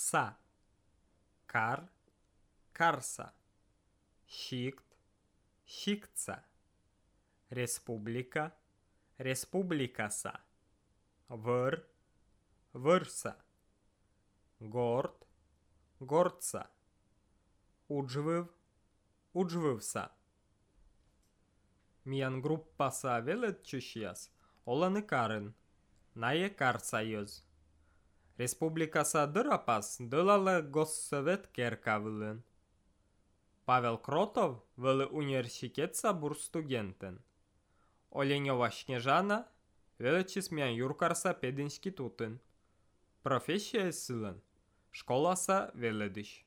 Са. Кар, карса. Шикт, шиктса. Республика, республикаса. Вăр, вырса. Горд, гордса. Уджвив, уджвивса. Миян группаса велет чущияс, оланы карын, нае карсайыз. Республикаса дырапас, дылалы госсовет керкавылын. Павел Кротов вылы университетса бурстудентен. Оленева Снежана величисмян юркарса пединститутын. Профессия сылын, школаса веледыш.